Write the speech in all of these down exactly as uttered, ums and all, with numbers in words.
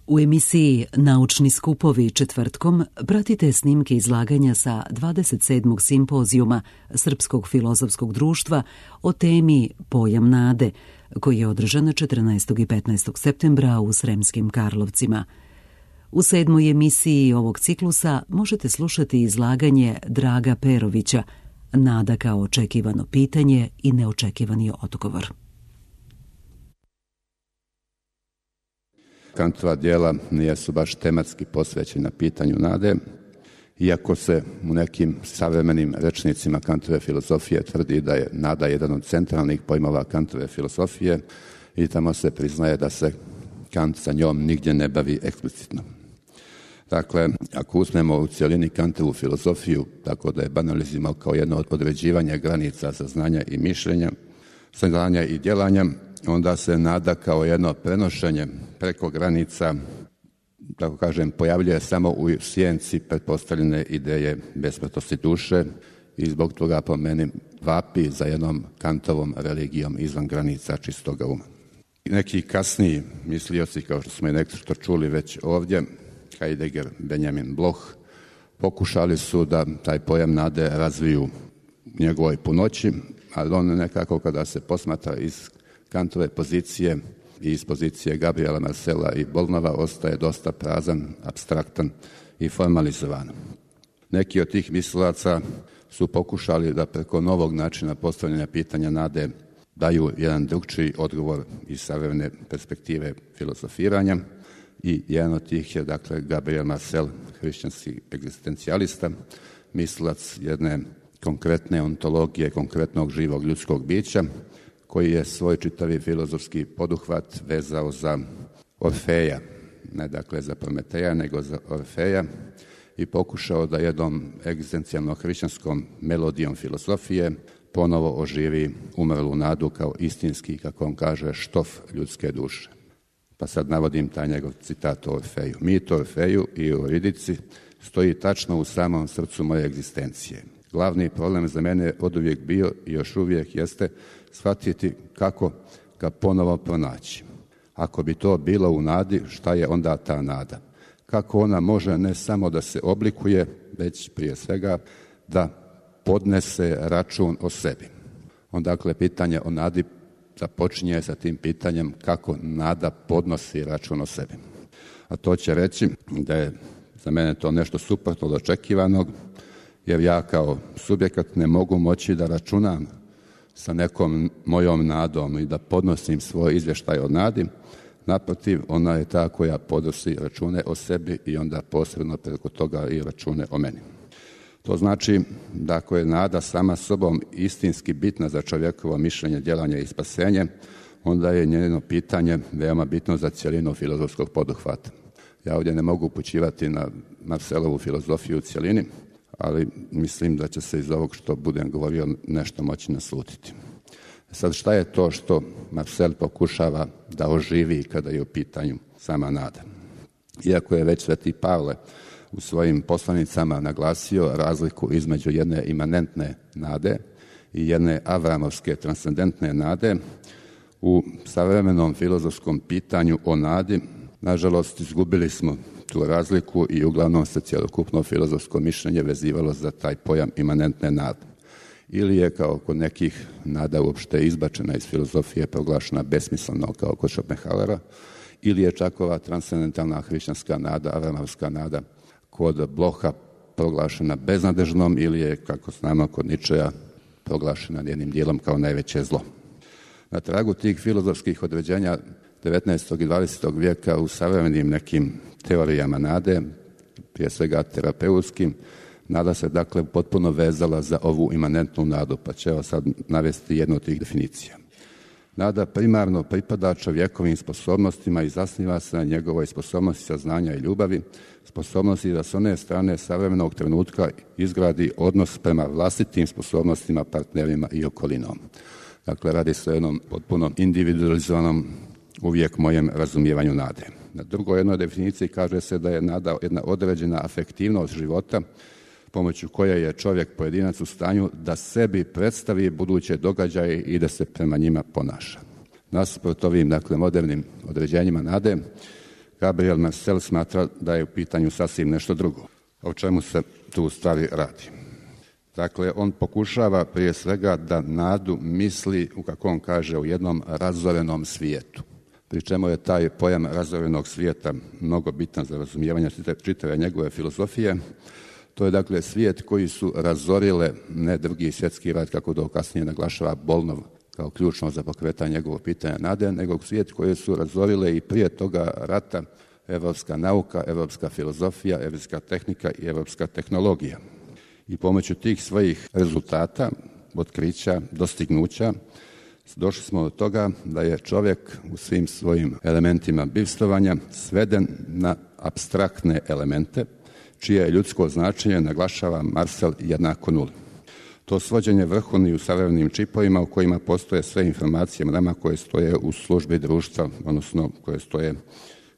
U emisiji Naučni skupovi četvrtkom pratite snimke izlaganja sa dvadeset sedmog simpozijuma Srpskog filozofskog društva o temi Pojam nade, koji je održan četrnaestog i petnaestog septembra u Sremskim Karlovcima. U sedmoj emisiji ovog ciklusa možete slušati izlaganje Draga Perovića, Nada kao očekivano pitanje i neočekivani odgovor. Kantova djela nisu baš tematski posvećena pitanju nade, iako se u nekim savremenim rečnicima Kantove filozofije tvrdi da je nada jedan od centralnih pojmova Kantove filozofije i tamo se priznaje da se Kant sa njom nigdje ne bavi eksplicitno. Dakle, ako uzmemo u cjelini Kantovu filozofiju, tako da je banaliziramo kao jedno od određivanja granica saznanja i mišljenja, saznanja i djelanja, onda se nada kao jedno prenošenje preko granica, tako kažem, pojavljuje samo u sjenci pretpostavljene ideje besmrtnosti duše i zbog toga po meni vapi za jednom Kantovom religijom izvan granica čistoga uma. Neki kasniji mislioci, kao što smo i nešto čuli već ovdje, Heidegger, Benjamin Bloch, pokušali su da taj pojam nade razviju u njegovoj punoći, ali on nekako kada se posmatra iz Kantove pozicije i iz pozicije Gabriela Marcela i Bolnova ostaje dosta prazan, apstraktan i formalizovan. Neki od tih mislilaca su pokušali da preko novog načina postavljanja pitanja nade daju jedan drugčiji odgovor iz savremene perspektive filozofiranja i jedan od tih je dakle Gabriel Marcel, hrišćanski egzistencijalista, mislilac jedne konkretne ontologije, konkretnog živog ljudskog bića, koji je svoj čitavi filozofski poduhvat vezao za Orfeja, ne dakle za Prometeja, nego za Orfeja i pokušao da jednom egzistencijalno hrišćanskom melodijom filozofije ponovo oživi umrlu nadu kao istinski, kako on kaže, štof ljudske duše. Pa sad navodim taj njegov citat o Orfeju. Mit o Orfeju i o Euridici stoji tačno u samom srcu moje egzistencije. Glavni problem za mene je oduvijek bio i još uvijek jeste shvatiti kako ga ponovo pronaći. Ako bi to bilo u nadi, šta je onda ta nada? Kako ona može ne samo da se oblikuje, već prije svega da podnese račun o sebi. Onda dakle pitanje o nadi započinje sa tim pitanjem kako nada podnosi račun o sebi. A to će reći da je za mene to nešto suprotno od očekivanog, jer ja kao subjekat ne mogu moći da računam sa nekom mojom nadom i da podnosim svoj izvještaj o nadi. Naprotiv, ona je ta koja podnosi račune o sebi i onda posredno preko toga i račune o meni. To znači da ako je nada sama sobom istinski bitna za čovjekovo mišljenje, djelanje i spasenje, onda je njeno pitanje veoma bitno za cjelinu filozofskog poduhvata. Ja ovdje ne mogu upućivati na Marcelovu filozofiju u cjelini, ali mislim da će se iz ovog što budem govorio nešto moći naslutiti. Sad šta je to što Marcel pokušava da oživi kada je u pitanju sama nada? Iako je već Sveti Pavle u svojim poslanicama naglasio razliku između jedne imanentne nade i jedne avramovske transcendentne nade, u savremenom filozofskom pitanju o nadi, nažalost, izgubili smo tu razliku i uglavnom se cjelokupno filozofsko mišljenje vezivalo za taj pojam imanentne nade. Ili je, kao kod nekih, nada uopšte izbačena iz filozofije, proglašena besmisleno kao kod Schopenhauera, ili je čak ova transcendentalna hrišćanska nada, avramovska nada, kod Blocha proglašena beznadežnom ili je, kako znamo, kod Ničeja proglašena jednim dijelom kao najveće zlo. Na tragu tih filozofskih određenja devetnaestog i dvadesetog vijeka u savremenim nekim teorijama nade, prije svega terapeutskim, nada se dakle potpuno vezala za ovu imanentnu nadu, pa ću evo sad navesti jednu od tih definicija. Nada primarno pripada čovjekovim sposobnostima i zasniva se na njegovoj sposobnosti saznanja i ljubavi, sposobnosti da s one strane savremenog trenutka izgradi odnos prema vlastitim sposobnostima, partnerima i okolinom. Dakle, radi se o jednom potpuno individualizovanom uvijek mojem razumijevanju nade. Na drugoj jednoj definiciji kaže se da je nada jedna određena afektivnost života pomoću koje je čovjek pojedinac u stanju da sebi predstavi buduće događaje i da se prema njima ponaša. Nasuprot ovim, dakle, modernim određenjima nade, Gabriel Marcel smatra da je u pitanju sasvim nešto drugo. O čemu se tu u stvari radi? Dakle, on pokušava prije svega da nadu misli, u kako on kaže, u jednom razorenom svijetu. Pri čemu je taj pojam razorenog svijeta mnogo bitan za razumijevanje čitave njegove filozofije. To je dakle svijet koji su razorile ne Drugi svjetski rat, kako to kasnije naglašava Bolnov kao ključno za pokretanje njegovog pitanja nade, nego svijet koji su razorile i prije toga rata evropska nauka, evropska filozofija, evropska tehnika i evropska tehnologija. I pomoću tih svojih rezultata, otkrića, dostignuća, došli smo do toga da je čovjek u svim svojim elementima bivstvovanja sveden na apstraktne elemente, čije ljudsko značenje naglašava Marcel jednako nuli. To svođenje vrhovni u savremenim čipovima u kojima postoje sve informacije mrema koje stoje u službi društva, odnosno koje stoje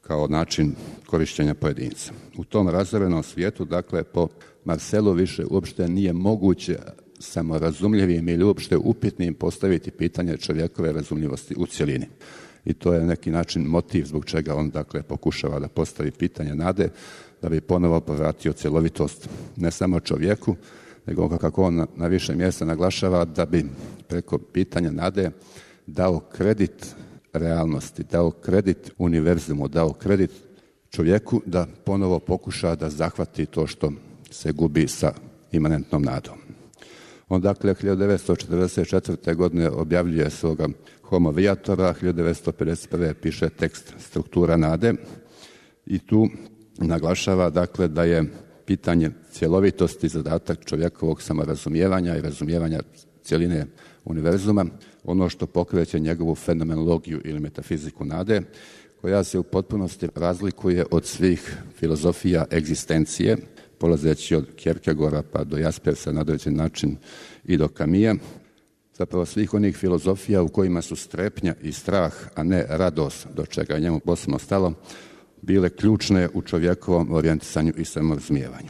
kao način korištenja pojedinca. U tom razorenom svijetu, dakle, po Marcelu više uopšte nije moguće samorazumljivim ili uopšte upitnim postaviti pitanje čovjekove razumljivosti u cjelini. I to je neki način motiv zbog čega on, dakle, pokušava da postavi pitanje nade, da bi ponovo povratio cjelovitost ne samo čovjeku, nego kako on na, na više mjesta naglašava, da bi preko pitanja nade dao kredit realnosti, dao kredit univerzumu, dao kredit čovjeku da ponovo pokuša da zahvati to što se gubi sa imanentnom nadom. On dakle hiljadu devetsto četrdeset četvrte. godine objavljuje svoga Homo Viatora, hiljadu devetsto pedeset prve. piše tekst Struktura nade i tu naglašava dakle da je pitanje cjelovitosti zadatak čovjekovog samorazumijevanja i razumijevanja cjeline univerzuma, ono što pokreće njegovu fenomenologiju ili metafiziku nade, koja se u potpunosti razlikuje od svih filozofija egzistencije, polazeći od Kierkegaarda pa do Jaspersa na određen način i do Camilla, zapravo svih onih filozofija u kojima su strepnja i strah, a ne radost, do čega je njemu posebno stalo, bile ključne u čovjekovom orijentisanju i samorazumijevanju.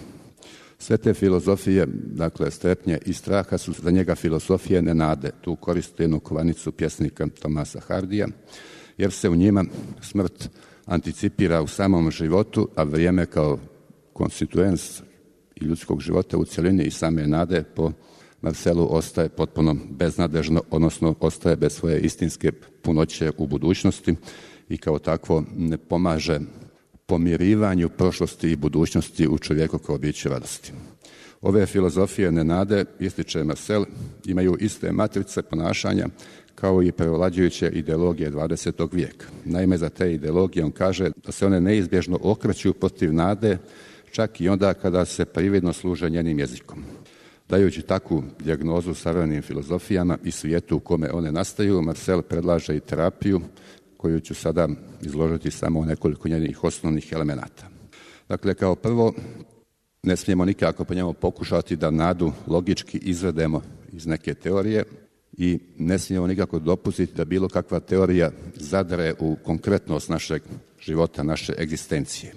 Sve te filozofije, dakle strepnje i straha, su za njega filozofije nenade. Tu koriste jednu kovanicu pjesnika Tomasa Hardija, jer se u njima smrt anticipira u samom životu, a vrijeme kao konstituens i ljudskog života u cjelini i same nade po Marcelu ostaje potpuno beznadežno, odnosno ostaje bez svoje istinske punoće u budućnosti i kao takvo ne pomaže pomirivanju prošlosti i budućnosti u čovjeku kao biću radosti. Ove filozofije nenade, ističe Marcel, imaju iste matrice ponašanja kao i prevlađujuće ideologije dvadesetog vijeka. Naime, za te ideologije on kaže da se one neizbježno okreću protiv nade, čak i onda kada se prividno služe njenim jezikom. Dajući takvu dijagnozu savremenim filozofijama i svijetu u kome one nastaju, Marcel predlaže i terapiju, koju ću sada izložiti samo nekoliko njenih osnovnih elemenata. Dakle, kao prvo, ne smijemo nikako po njemu pokušati da nadu logički izvedemo iz neke teorije i ne smijemo nikako dopustiti da bilo kakva teorija zadre u konkretnost našeg života, naše egzistencije,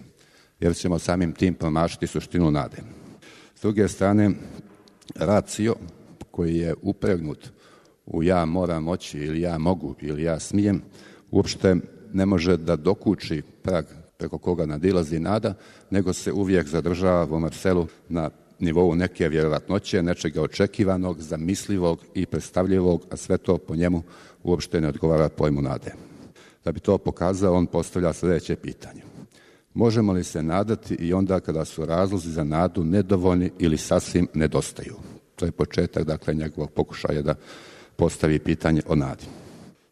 jer ćemo samim tim promašiti suštinu nade. S druge strane, racio koji je upregnut u ja moram moći ili ja mogu ili ja smijem, uopšte ne može da dokuči prag preko koga nadilazi nada, nego se uvijek zadržava u Marcelu na nivou neke vjerojatnoće, nečega očekivanog, zamislivog i predstavljivog, a sve to po njemu uopšte ne odgovara pojmu nade. Da bi to pokazao, on postavlja sljedeće pitanje. Možemo li se nadati i onda kada su razlozi za nadu nedovoljni ili sasvim nedostaju? To je početak, dakle, njegovog pokušaja da postavi pitanje o nadi.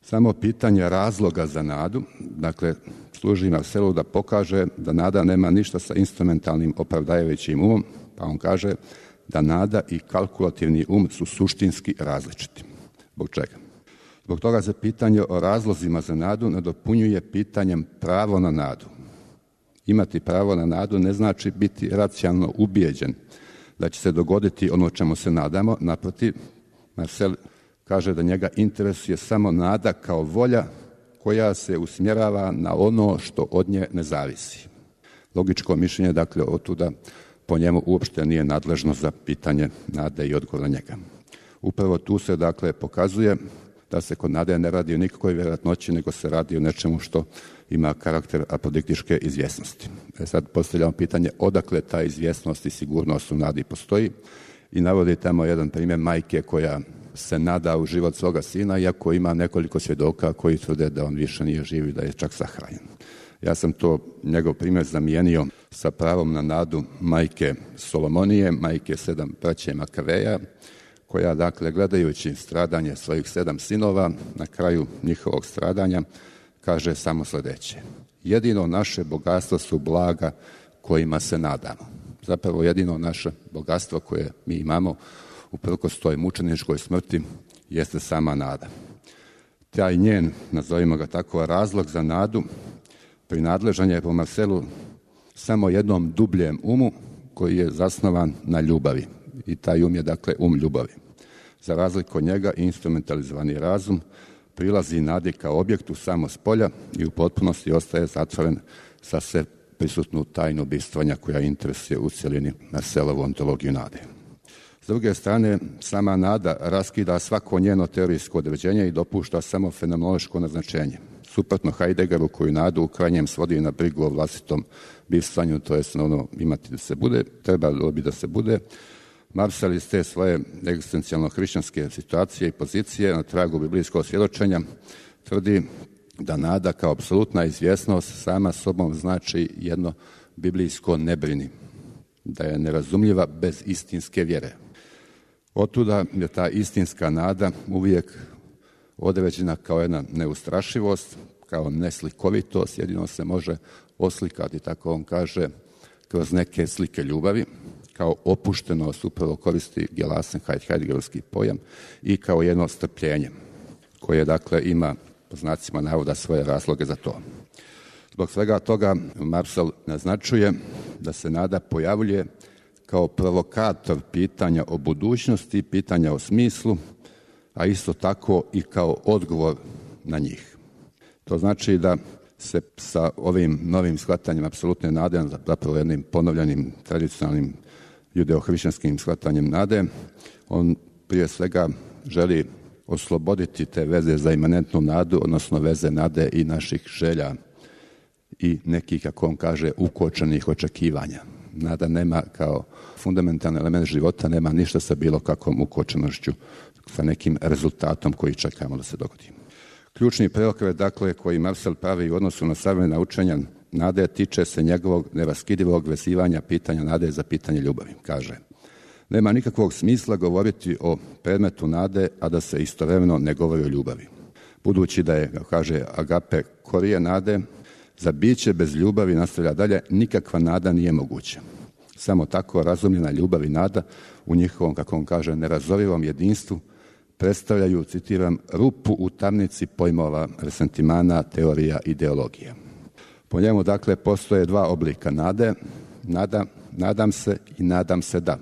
Samo pitanje razloga za nadu, dakle, služi Marcelu da pokaže da nada nema ništa sa instrumentalnim opravdajućim umom, pa on kaže da nada i kalkulativni um su suštinski različiti. Zbog čega? Zbog toga se pitanje o razlozima za nadu nadopunjuje pitanjem pravo na nadu. Imati pravo na nadu ne znači biti racionalno ubijeđen da će se dogoditi ono čemu se nadamo. Naprotiv, Marcel kaže da njega interesuje samo nada kao volja koja se usmjerava na ono što od nje ne zavisi. Logičko mišljenje, dakle, otuda po njemu uopšte nije nadležno za pitanje nade i odgovor na njega. Upravo tu se, dakle, pokazuje da se kod nade ne radi o nikakvoj vjerojatnoći, nego se radi o nečemu što ima karakter apodiktičke izvjesnosti. E sad postavljamo pitanje odakle ta izvjesnost i sigurnost u nadi postoji i navodi tamo jedan primjer majke koja se nada u život svoga sina, iako ima nekoliko svjedoka koji tvrde da on više nije živ i da je čak sahranjen. Ja sam to njegov primjer zamijenio sa pravom na nadu majke Solomonije, majke sedam braće Makaveja, koja, dakle, gledajući stradanje svojih sedam sinova, na kraju njihovog stradanja, kaže samo sljedeće: jedino naše bogatstvo su blaga kojima se nadamo. Zapravo jedino naše bogatstvo koje mi imamo uprkos toj mučeničkoj smrti jeste sama nada. Taj njen, nazovimo ga tako, razlog za nadu prinadležan je po Marcelu samo jednom dubljem umu koji je zasnovan na ljubavi. I taj um je, dakle, um ljubavi. Za razliku od njega, instrumentalizovani razum prilazi nadi kao objektu samo s polja i u potpunosti ostaje zatvoren sa sve prisutnu tajnu bistvanja koja interesuje u cjelini Marcelovu ontologiju nade. S druge strane, sama nada raskida svako njeno teorijsko određenje i dopušta samo fenomenološko naznačenje. Suprotno Heideggeru, koju nadu u krajnjem svodi na brigu o vlastitom bivstvanju, to je ono imati da se bude, trebalo bi da se bude, Marcel iz te svoje egzistencijalno-hrišćanske situacije i pozicije na tragu biblijskog svjedočenja tvrdi da nada kao apsolutna izvjesnost sama sobom znači jedno biblijsko ne brini, da je nerazumljiva bez istinske vjere. Otuda je ta istinska nada uvijek određena kao jedna neustrašivost, kao neslikovitost, jedino se može oslikati, tako on kaže, kroz neke slike ljubavi, kao opuštenost, upravo koristi Gelasen Heideggerovski pojam, i kao jedno strpljenje koje, dakle, ima po znacima navoda svoje razloge za to. Zbog svega toga Marcel naznačuje da se nada pojavljuje kao provokator pitanja o budućnosti, pitanja o smislu, a isto tako i kao odgovor na njih. To znači da se sa ovim novim shvatanjem apsolutne nade, zapravo jednim ponovljenim tradicionalnim judeo-hrišćanskim shvatanjem nade, on prije svega želi osloboditi te veze za imanentnu nadu, odnosno veze nade i naših želja i nekih, kako on kaže, ukočenih očekivanja. Nada nema kao fundamentalni element života, nema ništa sa bilo kakvom ukočenošću, sa nekim rezultatom koji čekamo da se dogodi. Ključni preokret, dakle, koji Marcel pravi u odnosu na savremena učenja nade tiče se njegovog neraskidivog vezivanja pitanja nade za pitanje ljubavi. Kaže: nema nikakvog smisla govoriti o predmetu nade, a da se istovremeno ne govori o ljubavi. Budući da je, kaže Agape, korije nade, za biće bez ljubavi, nastavlja dalje, nikakva nada nije moguća. Samo tako razumljena ljubav i nada u njihovom, kako on kaže, nerazovivom jedinstvu predstavljaju, citiram, rupu u tamnici pojmova, resentimana, teorija, ideologija. Po njemu, dakle, postoje dva oblika nade, nada, nadam se i nadam se da.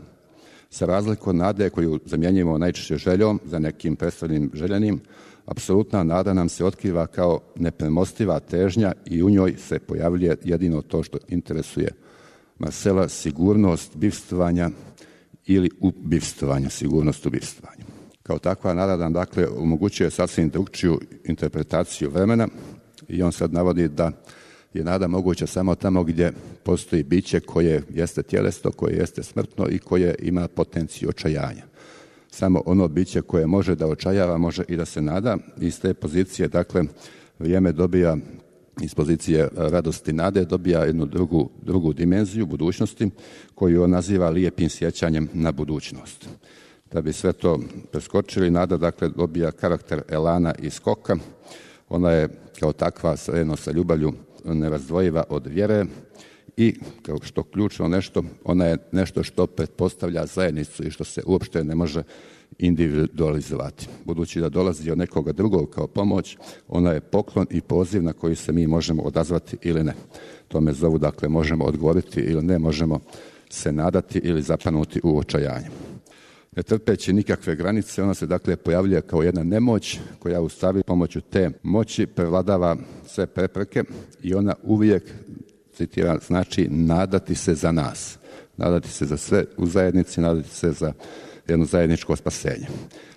Za razliku od nade koju zamjenjujemo najčešće željom za nekim predstavljenim željenim, apsolutna nada nam se otkriva kao nepremostiva težnja i u njoj se pojavljuje jedino to što interesuje Marcela, sigurnost bivstvovanja ili ubivstvovanja, sigurnost ubivstvovanja. Kao takva nada nam, dakle, omogućuje sasvim drugčiju interpretaciju vremena i on sad navodi da je nada moguća samo tamo gdje postoji biće koje jeste tjelesno, koje jeste smrtno i koje ima potenciju očajanja. Samo ono biće koje može da očajava, može i da se nada. Iz te pozicije, dakle, vrijeme dobija, iz pozicije radosti nade, dobija jednu drugu, drugu dimenziju budućnosti koju on naziva lijepim sjećanjem na budućnost. Da bi sve to preskočili, nada, dakle, dobija karakter elana i skoka. Ona je kao takva sredno sa ljubavlju nerazdvojiva od vjere i, kao što ključno nešto, ona je nešto što pretpostavlja zajednicu i što se uopšte ne može individualizovati. Budući da dolazi od nekoga drugog kao pomoć, ona je poklon i poziv na koji se mi možemo odazvati ili ne. Tome zovu, dakle, možemo odgovoriti ili ne, možemo se nadati ili zapanuti u očajanje. Ne trpeći nikakve granice, ona se, dakle, pojavljuje kao jedna nemoć koja u stvari pomoću te moći prevladava sve prepreke i ona uvijek, citiram, znači nadati se za nas. Nadati se za sve u zajednici, nadati se za jedno zajedničko spasenje.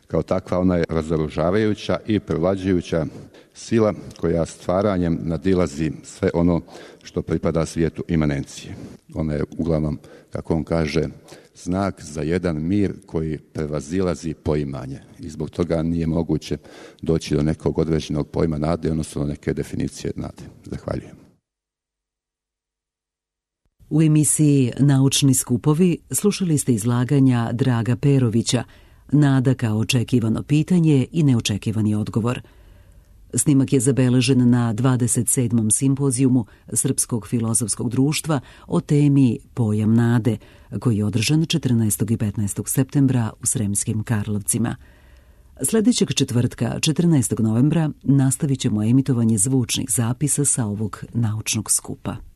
Kao takva ona je razoružavajuća i privlađujuća sila koja stvaranjem nadilazi sve ono što pripada svijetu imanencije. Ona je uglavnom, kako on kaže, znak za jedan mir koji prevazilazi poimanje i zbog toga nije moguće doći do nekog određenog pojma nade, odnosno neke definicije nade. Zahvaljujem. U emisiji Naučni skupovi slušali ste izlaganja Draga Perovića, Nada kao očekivano pitanje i neočekivani odgovor. Snimak je zabeležen na dvadeset sedmom simpozijumu Srpskog filozofskog društva o temi Pojam nade, koji je održan četrnaestog i petnaestog septembra u Sremskim Karlovcima. Sljedećeg četvrtka, četrnaestog novembra, nastavit ćemo emitovanje zvučnih zapisa sa ovog naučnog skupa.